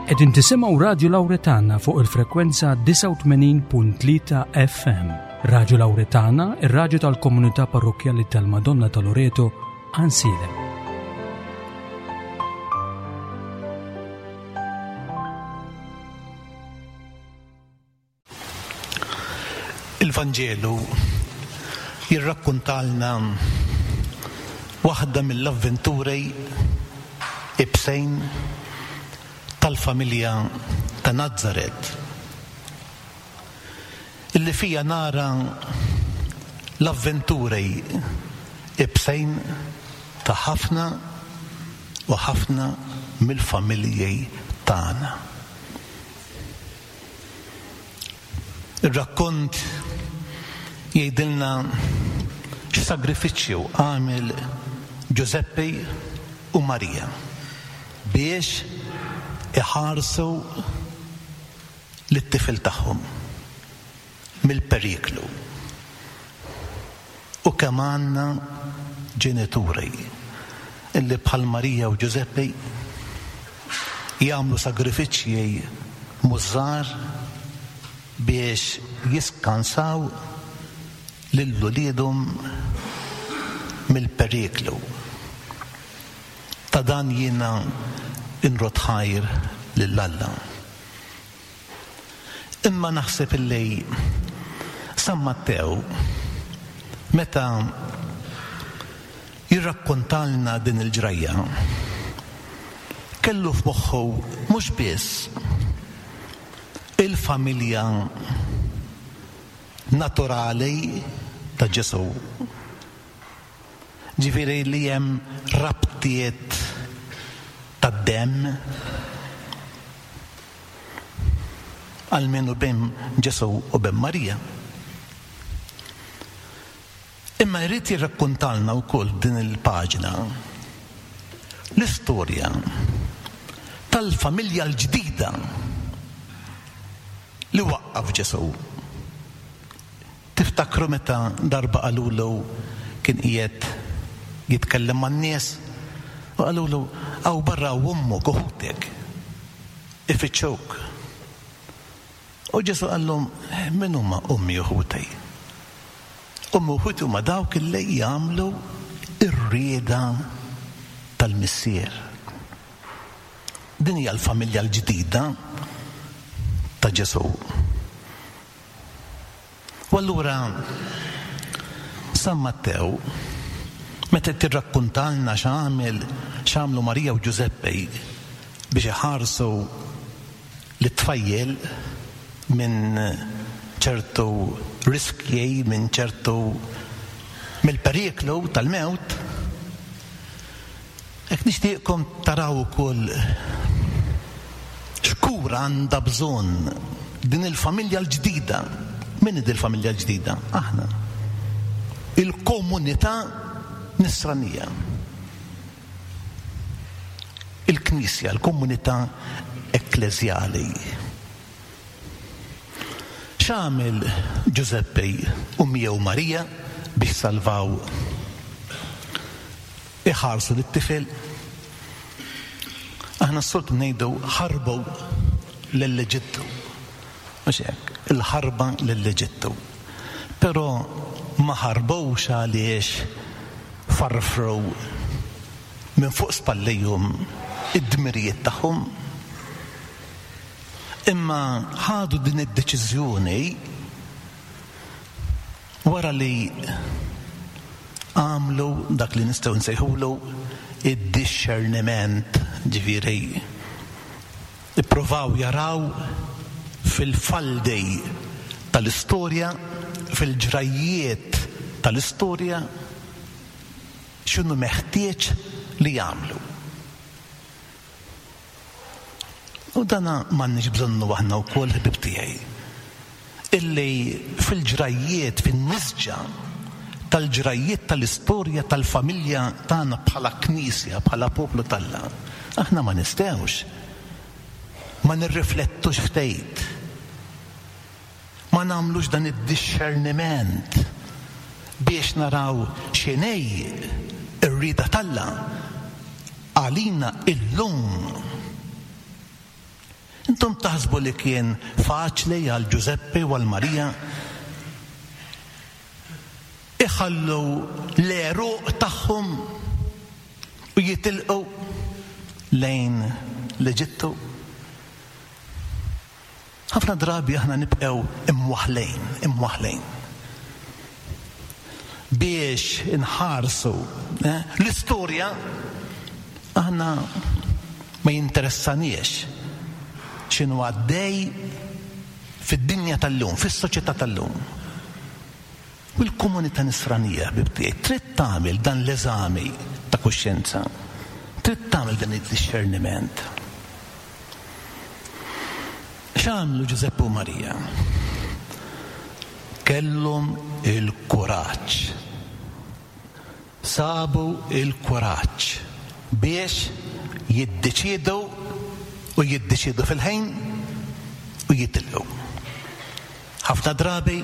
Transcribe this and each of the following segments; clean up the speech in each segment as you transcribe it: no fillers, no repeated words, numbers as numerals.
Qegħdin tisimgħu Radju Lawretana fuq il-frekwenza 89.3 FM. Radju Lawretana, ir-radju tal-komunità parrokkjali tal-Madonna ta' Loreto, Ansiedem. Il-Vanġelu jirrakkuntalna waħda mill-avventuri ibsejn tal-familja ta' Nazaret, illi fiha nara l-avventuri ibsejn ta' ħafna u ħafna mill-familji tagħna. Ir-rakkont jgħidilna x'sagrifiċċju għamel Ġużeppi u Marija biex iħarsu lit-tifel tagħhom mill-periklu. U kemm għandna ġenituri illi bħal Marija u Ġużeppi jagħmlu sagrifiċċji mhux żgħar biex jiskansaw lil uliedhom mill-periklu. Ta' dan jiena nrodd ħajr lil Alla. Imma naħseb illi San Mattew meta jirrakkontalna din il-ġrajja kellu f'moħħu mhux biss il-familja naturali ta' Ġesù, Ġifieri li hemm rabtiet tad-demm, almenu bejn Ġesù u bejn Marija. Imma jrid jirrakkuntalna wkoll din il-paġna l-istorja tal-familja l-ġdida li waqqaf Ġesù. Tiftakru meta darba qalulu kien qiegħed jitkellem man-nies u qalulu hawn barra hawn ommok u ħutek ifittxuk. U Ġesù qallhom min huma ommi u ħuti? Ommi u ħuti huma dawk li jagħmlu r-rieda tal-Missier. Din hija l-familja l-ġdida ta' Ġesù. U allura San Mattew meta qed jirrakkuntalna x'għamel x'għamlu Marija u Ġużeppi biex iħarsu lit-tfajjel minn ċertu riskji, minn ċertu mill-periklu tal-mewt, Hekk nixtieqkom taraw ukoll x'kura għandha bżonn din il-familja l-ġdida. Min hi dil-familja l-ġdida? Aħna. Il-komunità nisranija. Il-Knisja, il-komunità ekkleżjali. X'għamel Ġużeppi u miegħu Marija biex salvaw Iħarsu lit-tifel. Aħna s-soltu ngħidu ħarbu lill-Eġittu. Mhux hekk, il-ħarba lill-Eġittu. Però ma ħarbux għaliex farfru minn fuq spallejhom id-dmirijiet tagħhom. Imma ħadu din id-deċiżjoni Wara li għamlu dak li nistgħu nsejħulu id-dixxerniment, ġifieri ippruvaw jaraw fil-faldi tal-istorja, fil-ġrajjiet tal-istorja x'inhu meħtieġ li jagħmlu. U dana m'għandniex bżonnu aħna wkoll, ħbieb tiegħi, illi fil-ġrajjiet, fin-nisġa tal-ġrajjiet tal-istorja tal-familja tagħna bħala Knisja, bħala poplu t'Alla, aħna ma nistgħux ma nirriflettux ftit, ma nagħmlux dan id-dixxerniment biex naraw x'inhi r-rieda t'Alla għalina illum. Intom taħsbu li kien faċli għal Ġużeppi u għal Marija iħallu l-għeruq tagħhom u jitilqu lejn l-Eġittu? Ħafna drabi aħna nibqgħu imwaħħlin, imwaħħlin. Biex inħarsu eh, l-istorja aħna ma jinteressaniex x'inhu għaddej fid-dinja tal-lum, fis-soċjetà tal-lum. U l-komunità nisranija, ħbieb tiegħi, trid tagħmel dan l-eżami ta' kuxjenza, trid tagħmel dan id-dixxerniment. X'għamlu Ġużeppi u Marija? Kellhom il-kuraġġ. Sabu l-kuraġġ biex jiddeċiedu u jiddeċiedu fil-ħin u jitilqu. Ħafna drabi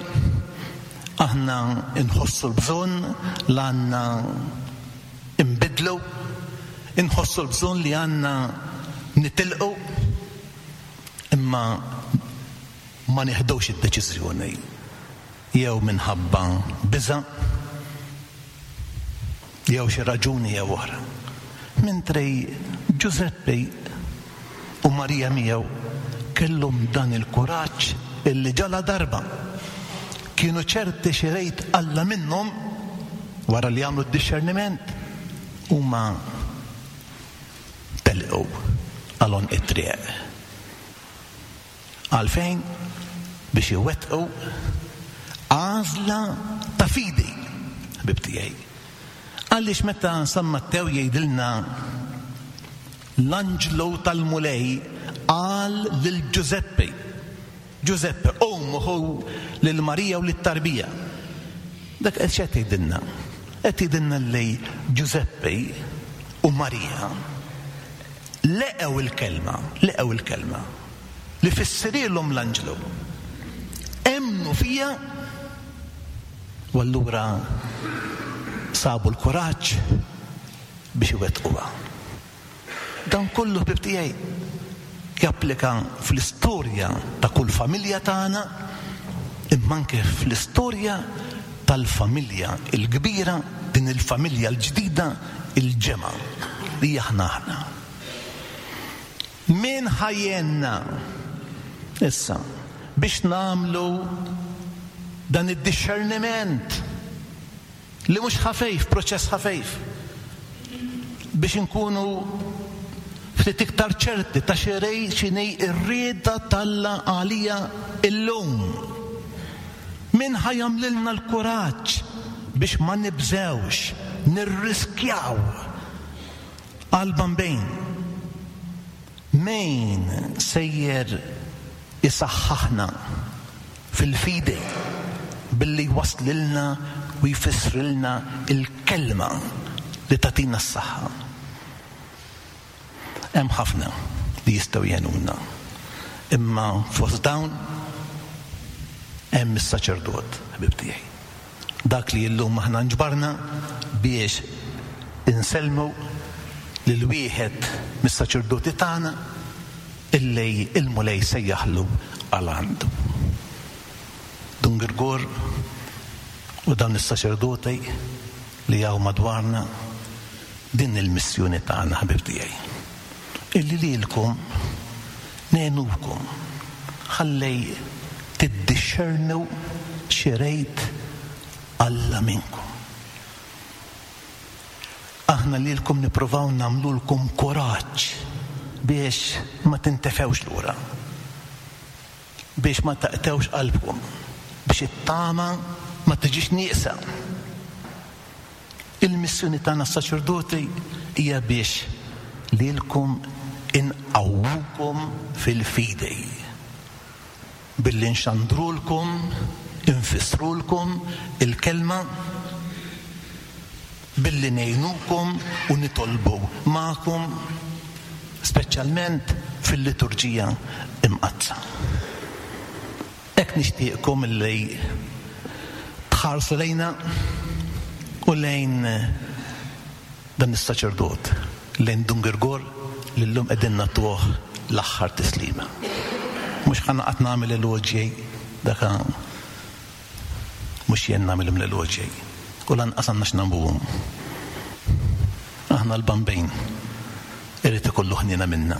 aħna nħossu l-bżonn li għandna nbiddlu, inħossu l-bżonn li għandna nitilqu, imma ma nieħdux id-deċiżjoni jew minħabba biża' jew xi raġuni jew oħra. Mentri Ġużeppi u Marija miegħu kellhom dan il-kuraġġ illi ġaladarba kienu ċerti x'irid Alla minnhom, wara li għamlu d-dixxerniment, huma telqu għal għonq it-triq. Għalfejn? Biex iwettqu għażla ta' fidi, ħbieb tiegħi. Għaliex meta San Mattew jgħidilna l-anġlu tal-Mulej qal lil Ġużeppi, Ġużeppe, qum u ħu lil Marija u lit-tarbija. Dak qed x'qed jgħidilna? Qed jgħidilna li Ġużeppi u Marija Leqgħu l-kelma, leqgħu l-kelma li fissrilhom l-anġlu. Emmnu fiha u allura sabu l-kuraġġ biex iwettquha. Dan kollu ħbieb tiegħi japplika fl-istorja ta' kull familja tagħna imma anke fl-istorja tal-familja l-kbira, din il-familja l-ġdida, il-ġemgħa li aħna aħna. Min ħa jgħinna issa biex nagħmlu dan id-dixxerniment li mhux ħafejf, proċess ħafejf, biex inkunu ftit iktar ċerti ta' x'inhi x'inhi r-rieda t'Alla għalija illum. Min ħa jagħmlilna l-kuraġġ biex ma nibżgħux nirriskjaw għall-Bambin? Min sejjer isaħħaħna fil-fidi billi jwasslilna u jfissrilna l-kelma li tagħtina s-saħħa? Hemm ħafna li jistgħu jgħinuna, imma fost dawn hemm is-saċerdot, ħbieb tiegħi. Dak li llum aħna nġbarna biex insellmu lil wieħed mis-saċerdoti tagħna illi l-Mulej sejjaħlu għal għandu. Dun Girgor u dawn is-saċerdoti li hawn madwarna, din il-missjoni tagħna ħbieb tiegħi. Illi lilkom ngħinukom ħalli tiddixxernu x'irid Alla minnkom. Aħna lilkom nippruvaw nagħmlulkom kuraġġ biex ma tintefgħux lura. Biex ma taqtgħux qalbkom, biex it-tama ma tiġix nieqsa. Il-missjoni tagħna s-saċerdoti hija biex lilkom inqawwukom fil-fidi billi nxandrulkom, infissrulkom il-kelma, billi ngħinukom u nitolbu magħkom, speċjalment fil-liturġija Imqaddsa. Hekk nixtieqkom illi tħarsu lejna u lejn dan is-saċerdot, lejn Dun Girgor li llum qegħdin nagħtuh l-aħħar tislima. Mhux ħa noqgħod nagħmel eloġji dak mhux jien nagħmilhom l-eloġji u lanqas għandna x'nagħmluhom. Aħna l-Bambin irid ikollu ħniena minna.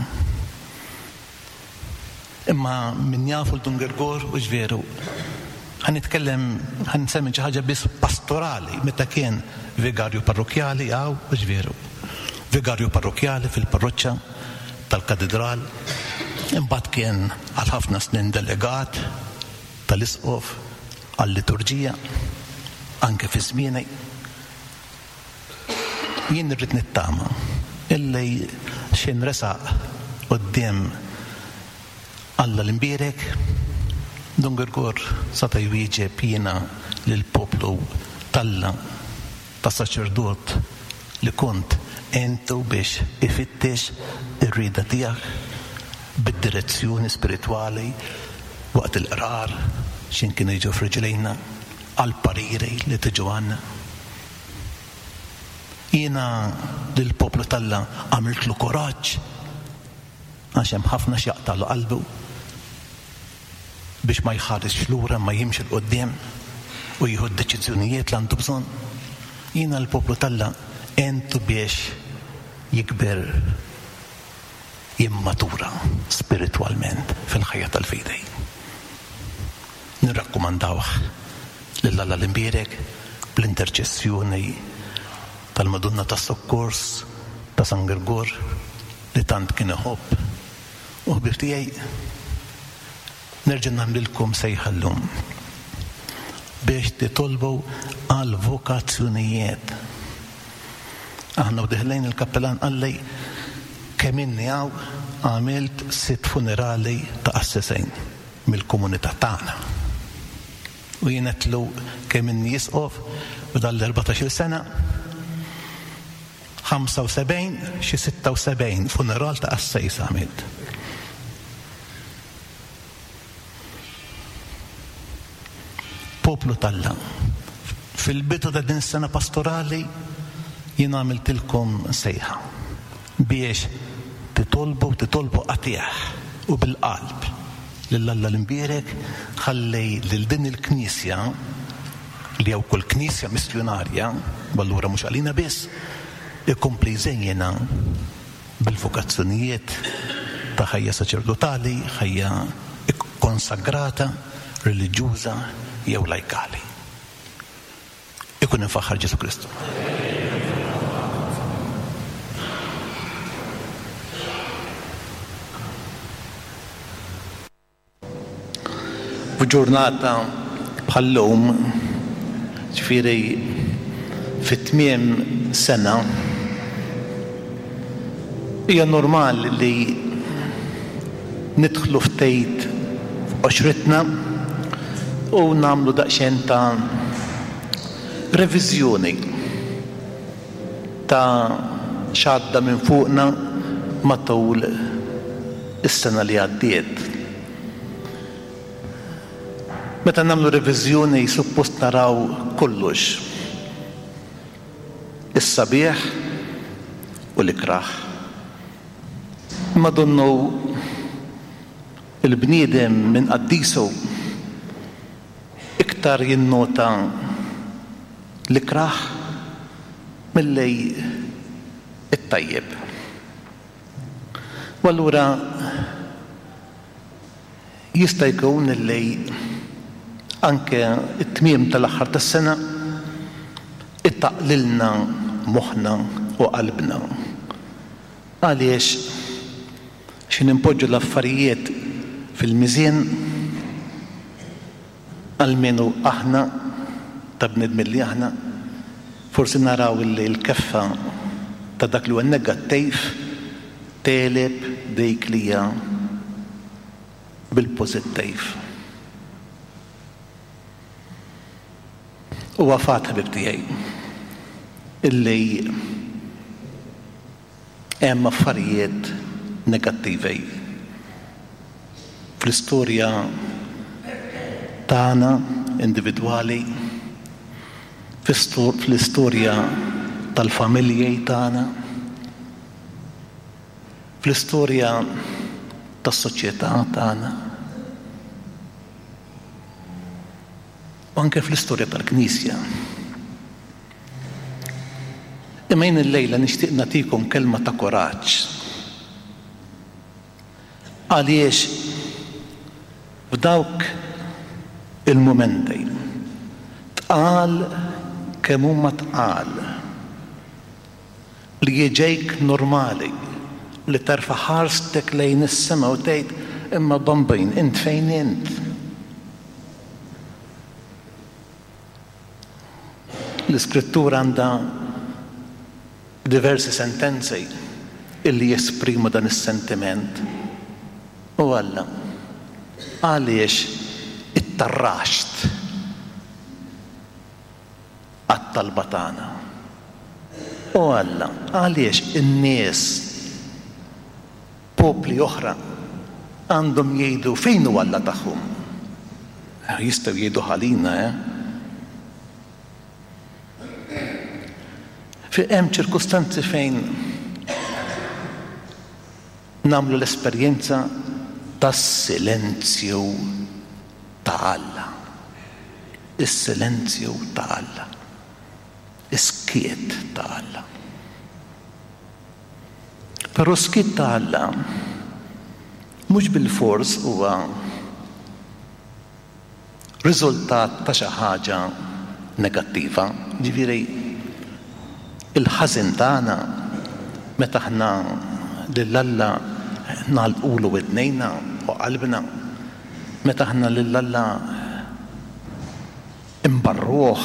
Imma min jafu l-Dun Girgor hux veru? Ħa nitkellem, ħa nsemmi xi ħaġa biss pastorali meta kien vigarju parrokkjali hawn, hux veru? Vigarju parrokkjali fil-parroċċa tal-Katidral, imbagħad kien għal ħafna snin delegat tal-Isqof għal-liturġija, anke fi żmieni. Jien irrid nittama illi x'ħin resaq quddiem Alla l-Imbierek, Dun Girgor sata' jwieġeb jiena lill-poplu t'Alla ta' saċerdot li kont għentu biex ifittex ir-rieda tiegħek bid-direzzjoni spiritwali waqt il-qrar x'ħin kienu jiġu f'riġlejna għall-pariri li tiġu għandna. Jiena lill-poplu t'Alla għamiltlu kuraġġ għax hemm ħafna x'jaqtagħlu qalbu biex ma jħarisx lura imma jimxi 'l quddiem u jieħu d-deċiżjonijiet li għandu bżonn. Jiena lill-poplu t'Alla għentu biex jikber jimmatura spiritwalment fil-ħajja tal-fidi. Nirrakkomandawh lil Alla l-Imbierek bl-interċessjoni tal-Madonna tas-Sokkors ta' San Girgor li tant kien iħobb. U ħbieb tiegħi, nerġa' nagħmlilkom sejħa llum biex titolbu għal vokazzjonijiet. Aħna u deħlejn il-kappelan qalli kemm inni hawn għamilt sitt funerali ta' qassisejn mill-komunità tagħna. U jien għedtlu kemm inni isqof f'dan l-erbatax-il sena, 75, xi 76 funeral ta' qassejs għamilt. Poplu t'Alla, fil-bidu ta' din is-sena pastorali jien għamiltilkom sejħa biex titolbu, titolbu qatigħ u bil-qalb lil Alla l-Imbierek ħalli lil din il-Knisja, li hija wkoll Knisja missjunarja, u allura mhux għalina biss, ikompli jżejjinha bil-vokazzjonijiet ta' ħajja saċerdotali, ħajja kkonsagrata, reliġjuża jew lajkali. Ikun imfaħħar Ġesù Kristu. F'ġurnata bħal-lum, ġifieri fi tmiem sena, hija normali li nidħlu ftit f'qoxritna u nagħmlu daqsxejn ta' reviżjoni ta' x'għadda minn fuqna matul is-sena li għaddiet. Meta nagħmlu reviżjoni suppost naraw kollox. Is-sabiħ u l-ikrah. Imma donnu l-bniedem minn qaddisu iktar jinnota l-ikrah milli t-tajjeb. U allura jista' jkun li anke t-tmiem tal-aħħar tas-sena ittaqqlilna moħħna u qalbna. Għaliex xi ninpoġġu l-affarijiet fil-miżien, Almenu aħna, ta' bnedmin li aħna, forsi naraw li l-keffa ta' dak li huwa negattiv tegħleb dik li hija bil-pożittiv. Huwa fatt, ħbieb tiegħi, illi Hemm affarijiet negattivi fl-istorja tagħna individwali, fl-istorja tal-familji tagħna, fl-istorja. tas-soċjetà tagħna. U anke fl-istorja tal-Knisja. Imma jien illejla nixtieq nagħtikom kelma ta' kuraġġ. Għaliex f'dawk il-mumenti tqal kemm huma tqal li jiġejk normali li terfa' ħarstek lejn is-sema u tgħid imma Bambin int fejn int? L-Iskrittura għandha diversi sentenzi illi jesprimu dan is-sentiment. O Alla, għaliex ittarraxt għat-talba tagħna? O Alla, għaliex in-nies, popli oħra, għandhom jgħidu fejn hu Alla tagħhom? Jistgħu jgħidu ħalina, eh? Fi hemm ċirkustanzi fejn nagħmlu l-esperjenza tas-silenzju ta' Alla. Is-silenzju ta' Alla. Is-skiet ta' Alla. Però s-skiet ta' Alla mhux bilfors huwa riżultat ta' xi ħaġa negattiva. Jiġifieri il-ħażen tagħna meta aħna lil Alla nagħlqulu widnejna u qalbna, meta aħna lil Alla nbarruh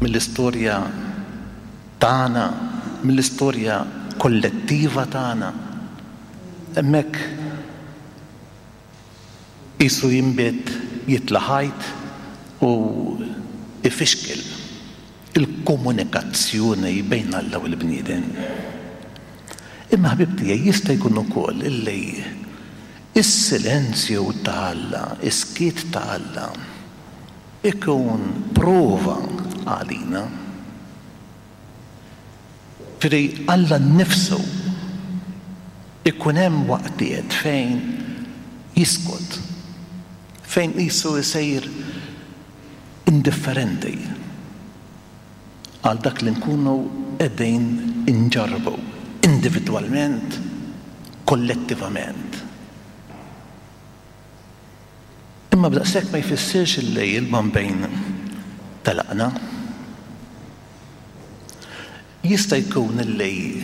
mill-istorja tagħna, mill-istorja kollettiva tagħna, hemmhekk Qisu jinbet jitla' ħajt u jfixkel il-komunikazzjoni bejn Alla u l-bniedem. Imma ħbieb tiegħi jista' jkun ukoll illi s-silenzju ta' Alla, is-skiet ta' Alla ikun prova għalina. Jiġifieri Alla nnifsu ikun hemm waqtiet fejn jiskot, fejn qisu jsir indifferenti għal dak li nkunu qegħdin inġarrbu individwalment, kollettivament. Imma b'daqshekk ma jfissirx illi l-Bambin telaqna. Jista' jkun illi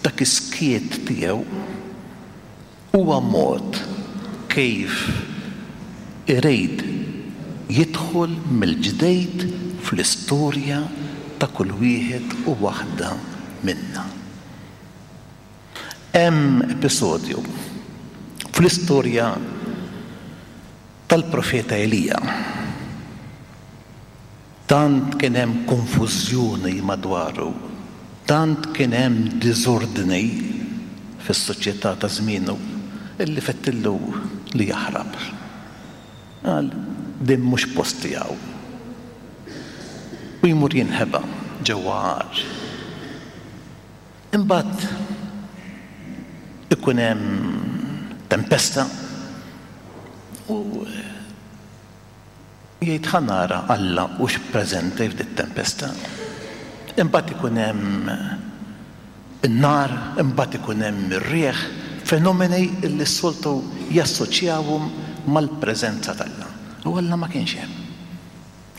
dak is-skiet tiegħu huwa mod kif irid jidħol mill-ġdid fl-istorja ta' kull wieħed u waħda minna. Hemm episodju fl-istorja tal-profeta Elija. Tant kien hemm konfużjoni madwaru, tant kien hemm diżordni fis-soċjetà ta' żmienu illi fettillu li jaħrab. Qal, din mhux posti hawn. U jmur jinħeba ġewwa għar. Imbagħad ikun hemm tempesta u jgħid ħa nara Alla hux preżenti f'dit-tempesta. Imbagħad ikun hemm in-nar, imbagħad ikun hemm ir-riħ, fenomeni li s-soltu jassoċjawhom mal-preżenza t'Alla. U Alla ma kienx hemm.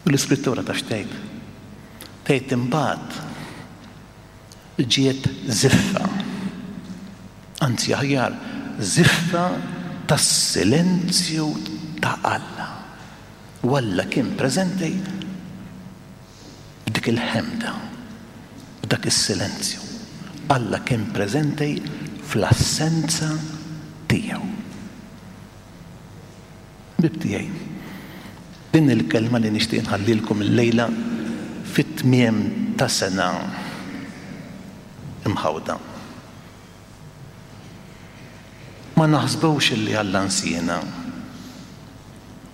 U l-Iskrittura taf x'tgħid? Tgħid imbagħad ġiet żiffa, anzi aħjar żiffa tas-silenzju ta' Alla. U Alla kien preżenti f'dik il-ħemda, f'dak is-silenzju. Alla kien preżenti fl-assenza tiegħu. Ħbieb tiegħi, din hi l-kelma li nixtieq nħallilkom illejla fit-tmiem ta' sena mħawda. Ma naħsbux illi Alla nsiena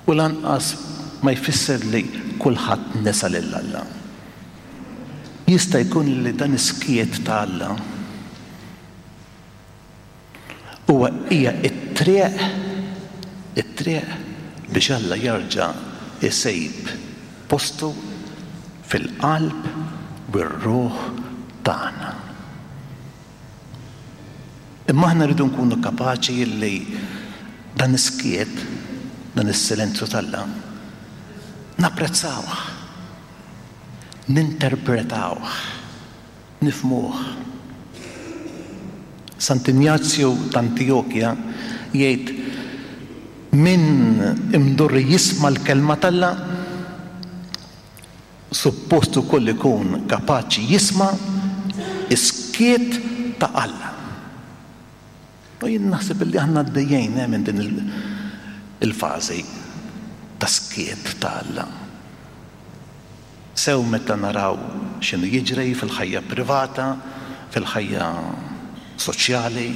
u lanqas ma jfisser li kulħadd nesa lil Alla. Jista' jkun li dan is-skiet ta' Alla. Huwa hija t-triq, it-triq biex Alla jerġa' jsib postu fil-qalb u r-ruħ tagħna. Imma aħna rridu nkunu kapaċi li dan is-skiet, dan is-silenzju t'Alla, napprezzawh, ninterpretawh, nifhmuh. Sant'Injazju t'Antijokja jgħid, Min imdorri jisma' l-kelma t'Alla, suppost ukoll ikun kapaċi jisma' s-skiet ta' Alla. U jien naħseb illi aħna għaddejjin minn din il-fażi ta' skiet ta' Alla. Sew meta naraw x'inhu jiġri fil-ħajja privata, fil-ħajja soċjali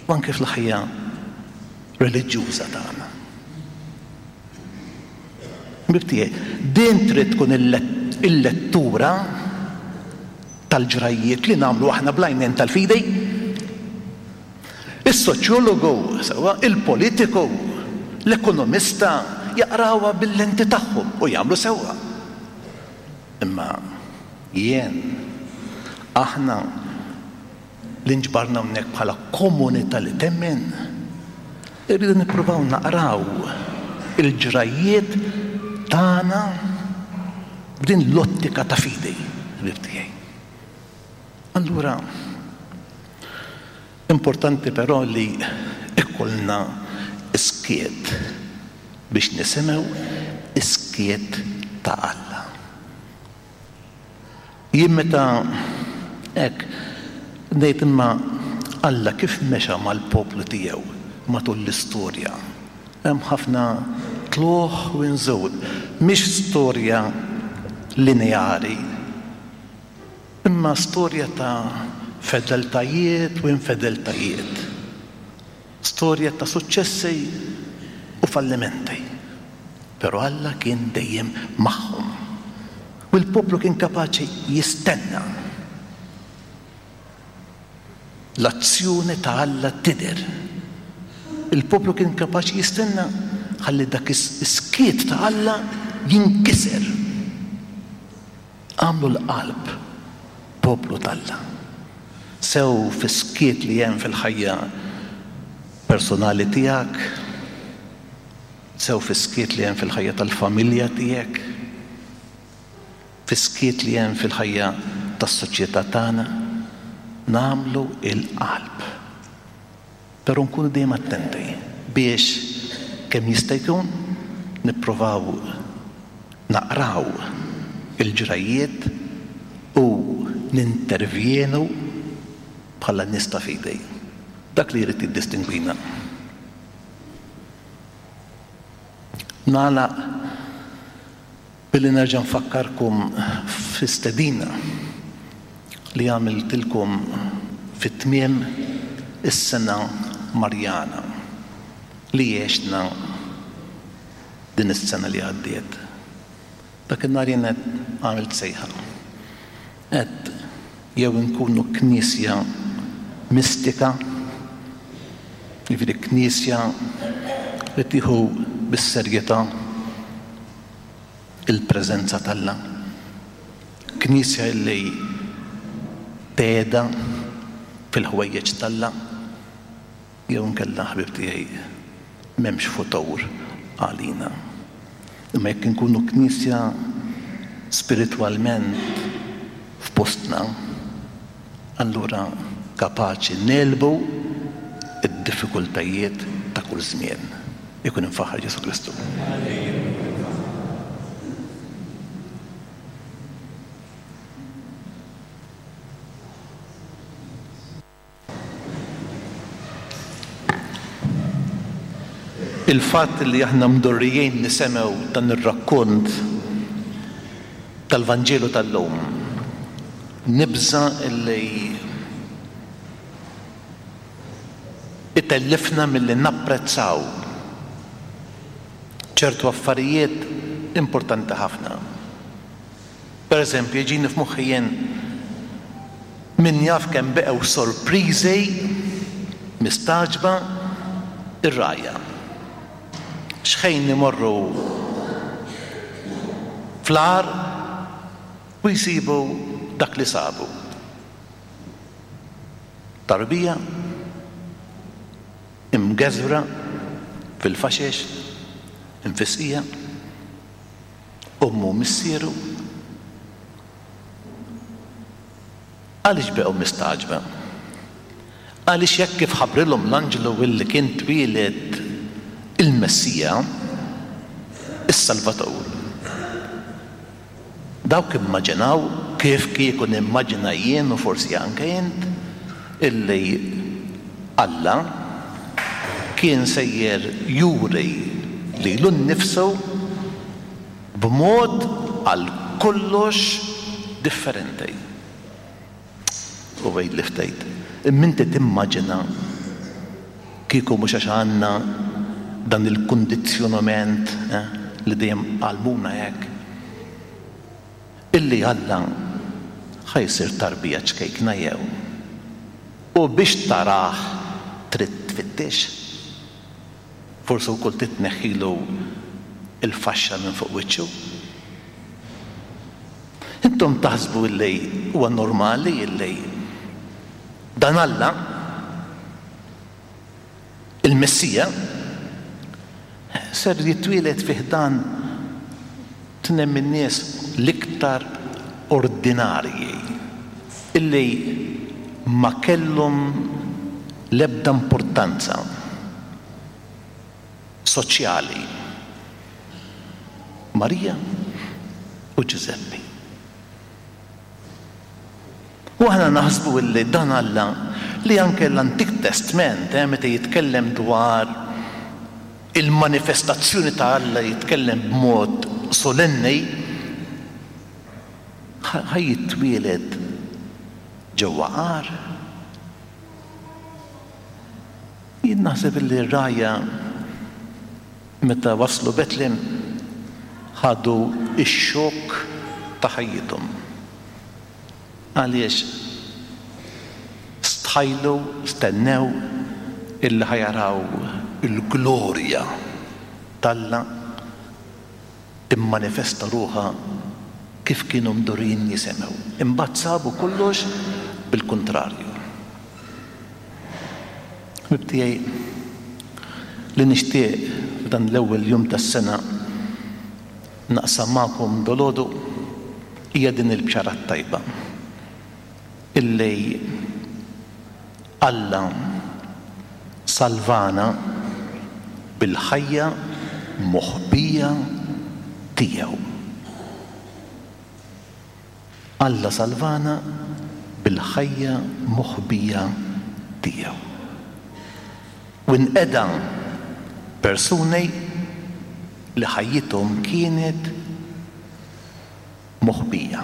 u anke fil-ħajja reliġjuża tagħna. Ħbieb tiegħi, din trid tkun il-lettura tal-ġrajjiet li nagħmlu aħna bl-għajnejn tal-fidi. Is-soċjologu, sewwa, il-politiku, l-ekonomista jaqrawha bil-lenti tagħhom u jagħmlu sewwa. Imma jien, aħna, li nġbarna hawnhekk bħala komunità li temmen, irridu nippruvaw naqraw il-ġrajjiet tagħna b'din l-ottika ta' fidi, ħbieb tiegħi. Allura, importanti però li ikollna skiet biex nisimgħu is-skiet ta' Alla. Jien meta hekk ngħid imma Alla kif mexa mal-poplu tiegħu matul l-istorja? Hemm ħafna tlugħ u nżul. Mhix storja lineari, imma storja ta' fedeltajiet u infedeltajiet. Storja ta' suċċessi u fallimenti. Però Alla kien dejjem magħhom. U l-poplu kien kapaċi jistenna. L-azzjoni ta' Alla tidher. Il-poplu kien kapaċi jistenna ħalli dak is-skiet ta' Alla jinkiser. Agħmlu l-qalb poplu t'Alla. Sew fis-skiet li hemm fil-ħajja personali tiegħek, sew fis-skiet li hemm fil-ħajja tal-familja tiegħek, fis-skiet li hemm fil-ħajja tas-soċjetà tagħna, nagħmlu l-qalb. Però nkunu dejjem attenti biex kemm jista' jkun nipprovaw naqraw il-ġrajjiet u nintervjenu bħala nies ta' fidi. Dak li jrid jiddistingwina. Nagħlaq billi nerġa' nfakkarkom fi stedina li għamiltilkom fi tmiem is-sena Marjana li għexna din is-sena li għaddiet. Dak in-nhar jien għamilt sejħa. Għedt jew inkunu Knisja mistika, jiġifieri Knisja li tieħu bis-serjetà il-preżenza t'Alla, Knisja li tgħeda fil-ħwejjeġ t'Alla, jew inkella ħbieb tiegħi m'hemmx futur għalina. Imma jekk inkunu Knisja spiritwalment f'postna, allura kapaċi negħlbu d-diffikultajiet ta' kull żmien. Ikun imfaħħar Ġesù Kristu. Il-fatt li aħna mdorrijin nisemgħu dan ir-rakkont tal-Vanġelu tal-lum, nibża' li itellifna milli napprezzaw ċertu affarijiet importanti ħafna. Per eżempju, jiġini f'moħħi jien min jaf kemm beqgħu sorpriżi. Mistagħġba r-rgħajja. X'ħin imorru fl-għar u jsibu dak li sabu. Tarbija imgeżwra fil-faxex, imfisqija, ommu u missieru. Għaliex beqgħu mistagħġba? Għaliex hekk kif ħabbrilhom l-anġlu illi kien twieled il-Messija, is-Salvatur, dawk immaġinaw, kif kieku nimmaġina jien u forsi anke int, illi Alla kien sejjer juri lilu nnifsu b'mod għal kollox differenti. U għidli ftit, imma inti timmaġina kieku mhux għax għandna dan il-kundizzjonament li dejjem għallmuna hekk, illi Alla ħa jsir tarbija ċkejkna jew? U biex tarah trid tfittex? Forsi wkoll trid tneħħilu l-faxxa minn fuq wiċċu? Intom taħsbu illi huwa normali illi dan Alla, il-Messija, ser jitwieled fi ħdan tnejn min-nies l-iktar ordinarji illi ma kellhom l-ebda importanza soċjali, Marija u Ġużeppi. U aħna naħsbu illi dan Alla li anke l-Antik Testment, eh, meta jitkellem dwar il-manifestazzjoni ta' Alla jitkellem b'mod solenni, ħa jitwieled ġewwa għar. Jien naħseb illi r-rgħajja meta waslu Betlem ħadu x-xokk ta' ħajjithom. Għaliex stħajlu, stennew illi ħa jaraw il-glorja t'Alla timmanifesta ruħha kif kienu mdorrijin jisimgħu. Imbagħad sabu kollox bil-kuntrarju. Ħbieb tiegħi, li nixtieq f'dan l-ewwel jum tas-sena naqsam magħkom dolgħodu hija din il-bxara t-tajba illi Alla salvana bil-ħajja moħbija tiegħu. Alla salvana bil-ħajja moħbija tiegħu. U nqeda persuni li ħajjithom kienet moħbija,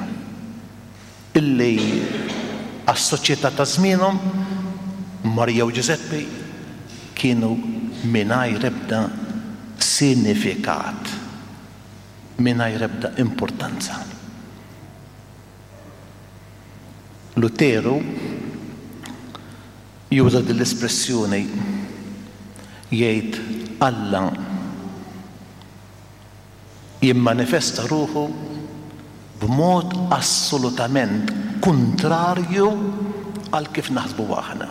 illi għas-soċjetà ta' żmienhom, Marija u Ġużeppi kienu mingħajr ebda sinifikat, mingħajr ebda importanza. Luteru juża din l-espressjoni jgħid Alla jimmanifesta ruħu b'mod assolutament kuntrarju għal kif naħsbu aħna.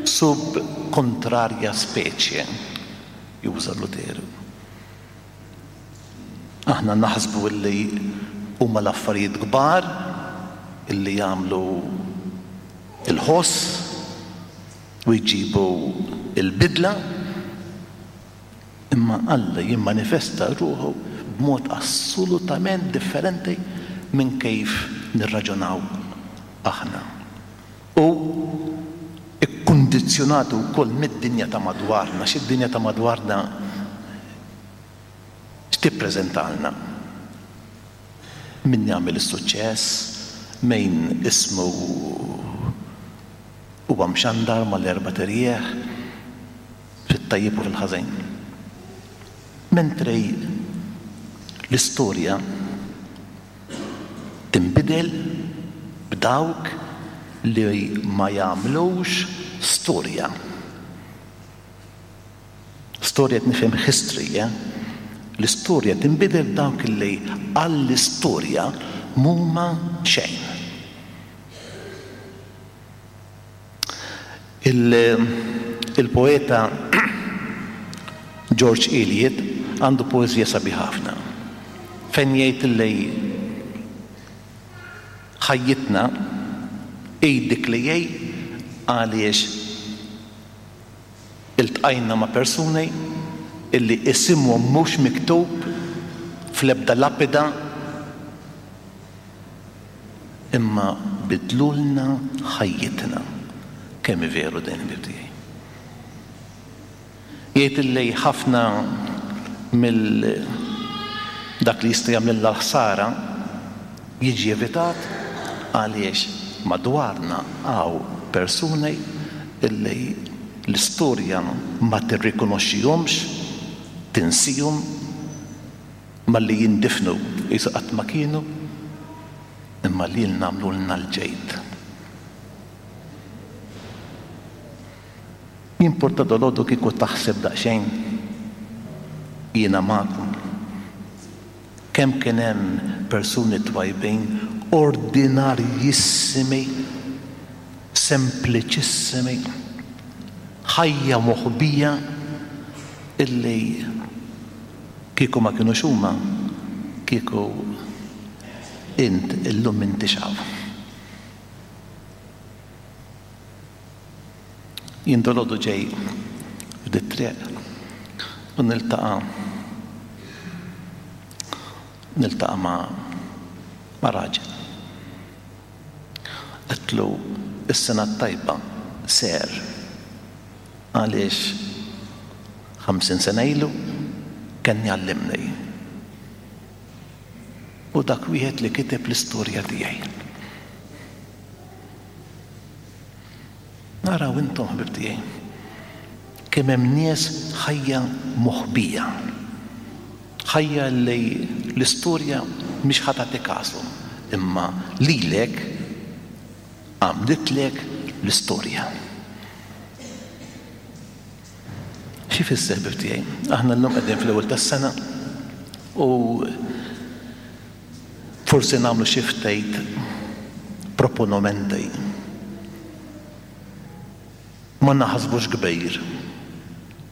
Sub contraria specie, juża Luteru. Aħna naħsbu illi huma l-affarijiet kbar illi jagħmlu l-ħoss u jġibu l-bidla, imma Alla jimmanifesta ruħu b'mod assolutament differenti minn kif nirraġunaw aħna. U kkundizzjonati wkoll mid-dinja ta' madwarna, għax id-dinja ta' madwarna x'tippreżentalna? Min jagħmel is-suċċess, min ismu huwa mxandar mal-erbat irjieħ, fit-tajjeb u fil-ħażin. Mentri l-istorja tinbidel b'dawk li ma jagħmlux storja. Storja qed nifhem history, eh? L-istorja tinbidel b'dawk li għall-istorja m'huma xejn. Il-poeta George Eliot għandu poeżija sabiħa ħafna fejn jgħid li ħajjitna hi dik li hi għaliex iltqajna ma' persuni illi isimhom mhux miktub fl-ebda lapida Imma bidlulna ħajjitna. Kemm hi veru din, ħbieb tiegħi. Jgħid illi ħafna mill dak li jista' jagħmlilna l-ħsara jiġi evitat għaliex madwarna hawn persuni illi l-istorja ma tirrikonoxxihomx, tinsihom, Malli jindifnu qisu qatt ma kienu, imma lilna għamlulna l-ġid. Jimporta dalgħodu kieku taħseb daqsxejn, jiena magħkom, kemm kien hemm persuni twajbin, ordinarjissimi, sempliċissimi, ħajja moħbija illi Kieku ma kinux huma, kieku int illum m'intix hawn. Jien dalgħodu ġej f'dit-triq u niltaqa' niltaqa' ma' ma' raġel. Għedtlu is-sena t-tajba, Sir. Għaliex 50 sena ilu kien jgħallimni. Hu dak wieħed li kiteb l-istorja tiegħi. Araw intom ħbieb tiegħi kemm hemm nies ħajja moħbija. Ħajja li l-istorja mhix ħa tagħti kasu, imma lilek għamlitlek l-istorja. Xi jfisser ħbieb tiegħi? Aħna llum qegħdin fl-ewwel tas-sena u forsi nagħmlu xi ftit proponomenti. Ma naħsbux kbir.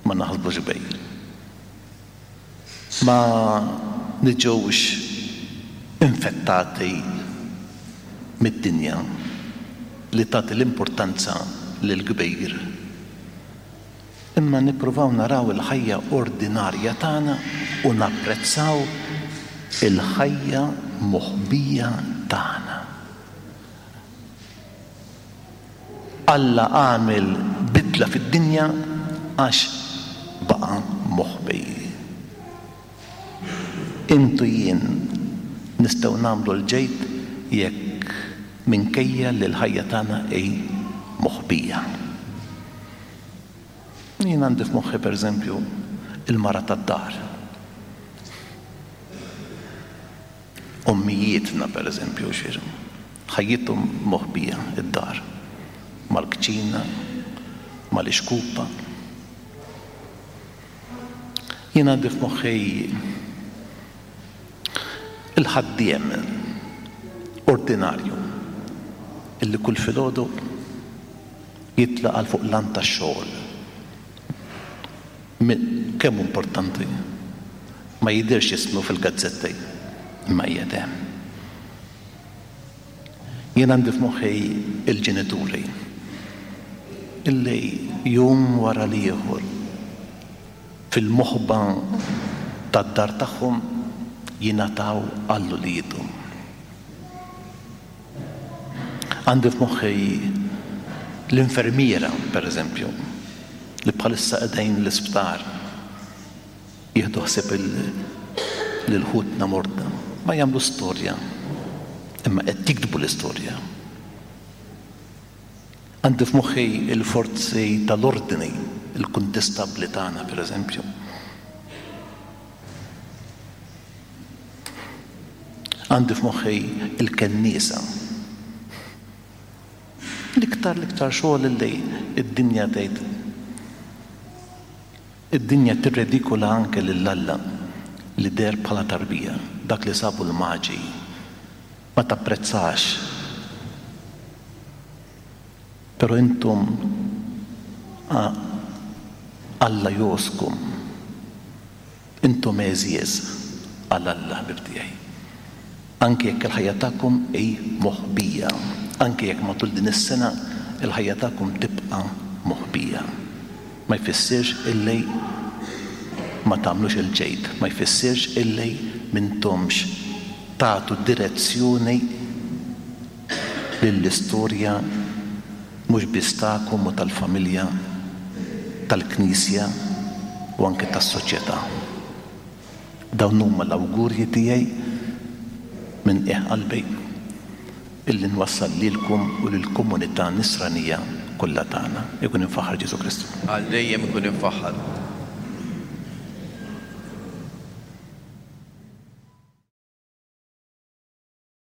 Ma naħsbux kbir. Ma niġux infettati mid-dinja li tagħti l-importanza lill-kbir, imma nippruvaw naraw il-ħajja ordinarja tagħna u napprezzaw il-ħajja moħbija tagħna. Alla għamel bidla fid-dinja għax baqa' moħbi. Int u jien nistgħu nagħmlu l-ġid jekk minkejja li l-ħajja tagħna hi moħbija. Jien għandi f'moħħi pereżempju il-mara tad-dar. Ommijietna pereżempju xi ħajjithom moħbija d-dar, mal-kċina, mal-ixkupa. Jien għandi f'moħħi il-ħaddiem ordinarju illi kull filgħodu jitlaq għal fuq l-għand tax-xogħol. Kemm hu importanti. Ma jidhirx ismu fil-gazzetti, imma qiegħed hemm. Jien għandi f'moħħi l-ġenituri illi jum wara l-ieħor fil-moħba tad-dar tagħhom jingħataw għal uliedhom. Għandi f'moħħi l-infermiera, pereżempju, li bħalissa qegħdin l-isptar jieħdu ħsieb lil ħutna morda. Ma jagħmlu storja, imma qed jiktbu l-istorja. Għandi f'moħħi l-forzi tal-ordni, il-kuntistabbli tagħna, pereżempju. Għandi f'moħħi l-kenniesa. L-iktar l-iktar xogħol li d-dinja tgħid. Id-dinja tirredikola anke lil Alla li deher bħala tarbija, dak li sabu l-Maġi. Ma tapprezzax. Però intom Alla jgħożżkom. Intom għeżież għal Alla, ħbieb tiegħi. Anke jekk il-ħajja tagħkom hi moħbija, anke jekk matul din is-sena l-ħajja tagħkom tibqa' moħbija, ma jfissirx illi ma tagħmlux il-ġid, ma jfissirx illi m'intomx tagħtu direzzjoni lill-istorja mhux biss tagħkom u tal-familja, tal-Knisja u anke tas-soċjetà. Dawn huma l-awgurji tiegħi minn qiegħ qalbi illi nwassal lilkom u lill-komunità Nisranija kollha tagħna. Ikun imfaħħar Ġesù Kristu. Għal dejjem ikun imfaħħar.